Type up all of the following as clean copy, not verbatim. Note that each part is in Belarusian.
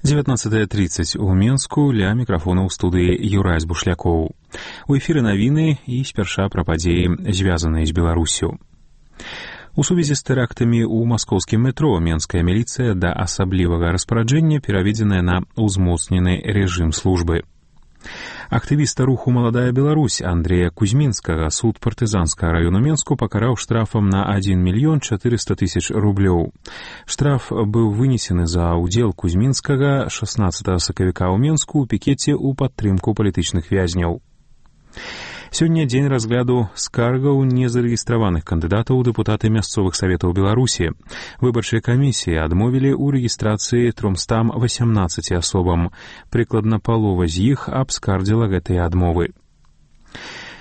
19:30 у Менску, ля мікрафона ў студыі Юрась Бушлякоў. У эфіры навіны і спярша пра падзеі, звязаныя з Беларуссю. У сувязі з тэрактамі ў маскоўскім метро менская міліцыя да асаблівага распараджэння пераведзеная на ўзмоцнены рэжым службы. Актывіста руху «Маладая Беларусь» Андрея Кузьмінскага суд партызанскага району Менску пакараў штрафам на 1 400 000 рублёў. Штраф быў вынесены за ўдзел Кузьмінскага 16 сакавіка ў Менску ў пікеце ў падтрымку палітычных вязняў. Сёння дзень разгляду скаргаў незарэгістраваных кандыдатаў у дэпутаты мясцовых саветаў Беларусі. Выбарчыя камісіі адмовілі ў рэгістрацыі 318 асобам. Прыкладна палова з іх абскардзіла гэтыя адмовы.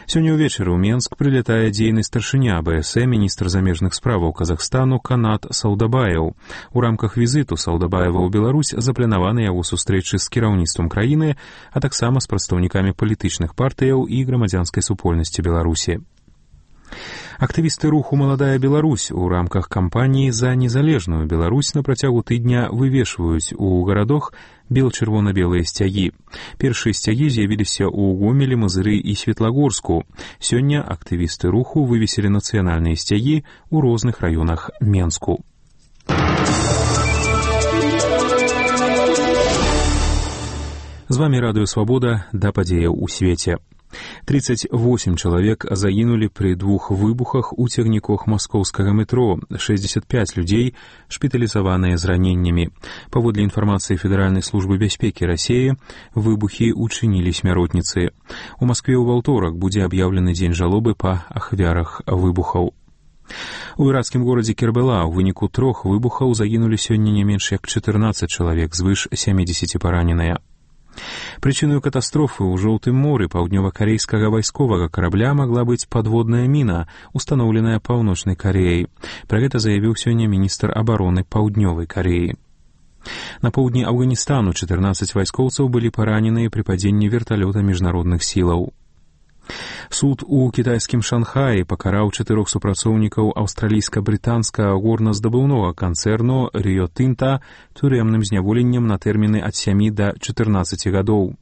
Сёння ўвечары ў Менск прылятае дзейны старшыня АБС, міністр замежных справаў Казахстану Канат Саудабаев. У рамках візіту Саудабаева ў Беларусь запланаваны яго сустрэчы з кіраўніцтвам краіны, а таксама з прадстаўнікамі палітычных партыяў і грамадзянскай супольнасці Беларусі. Актывісты руху «Маладая Беларусь» у рамках кампаніі за незалежную Беларусь на працягу тыдня вывешваюць у гарадах бел-чырвона-белыя сцягі. Першыя сцягі з'явіліся ў Гомелі, Мазыры і Светлагорску. Сёння актывісты руху вывесілі нацыянальныя сцягі ў розных раёнах Менску. З вамі Радыё Свабода, да падзеяў у свеце. 38 чалавек загінулі пры 2 выбухах у цягніках маскоўскага метро, 65 людзей шпіталізаваныя з раненнямі. Паводле інфармацыі Федэральнай службы бяспекі Расіі, выбухі учынілі смяротніцы. У Маскве ў аўторак будзе аб'яўлены дзень жалобы па ахвярах выбухаў. У іракскім горадзе Кербала ў выніку 3 выбухаў загінулі сёння не менш як 14 чалавек, звыш 70 параненыя. Прычыною катастрофы ў Жоўтым моры паўднёва-карейскага вайсковага карабля магла быць падводная міна, устаноўленая Паўночнай Кареяй. Пра гэта заявіў сёння міністр абароны Паўднёвай Кареі. На поўдні Афганістану 14 вайскоўцаў былі параненыя пры падзенні верталёта міжнародных сілаў. Суд у кітайскім Шанхаі пакараў 4 супрацоўнікаў аўстралійска-брытанскага горназдабыўнога канцэрну Rio Tinto турэмным зняволеннем на тэрміны ад 7 да 14 гадоў.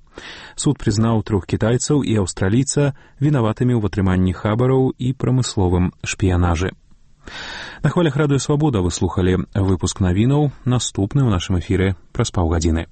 Суд прызнаў 3 кітайцаў і аўстралійца вінаватымі ў атрыманні хабараў і прамысловым шпіянажы. На хвалях Радыё Свабода вы слухалі выпуск навінаў, наступны ў нашым эфіры праз паўгадзіны.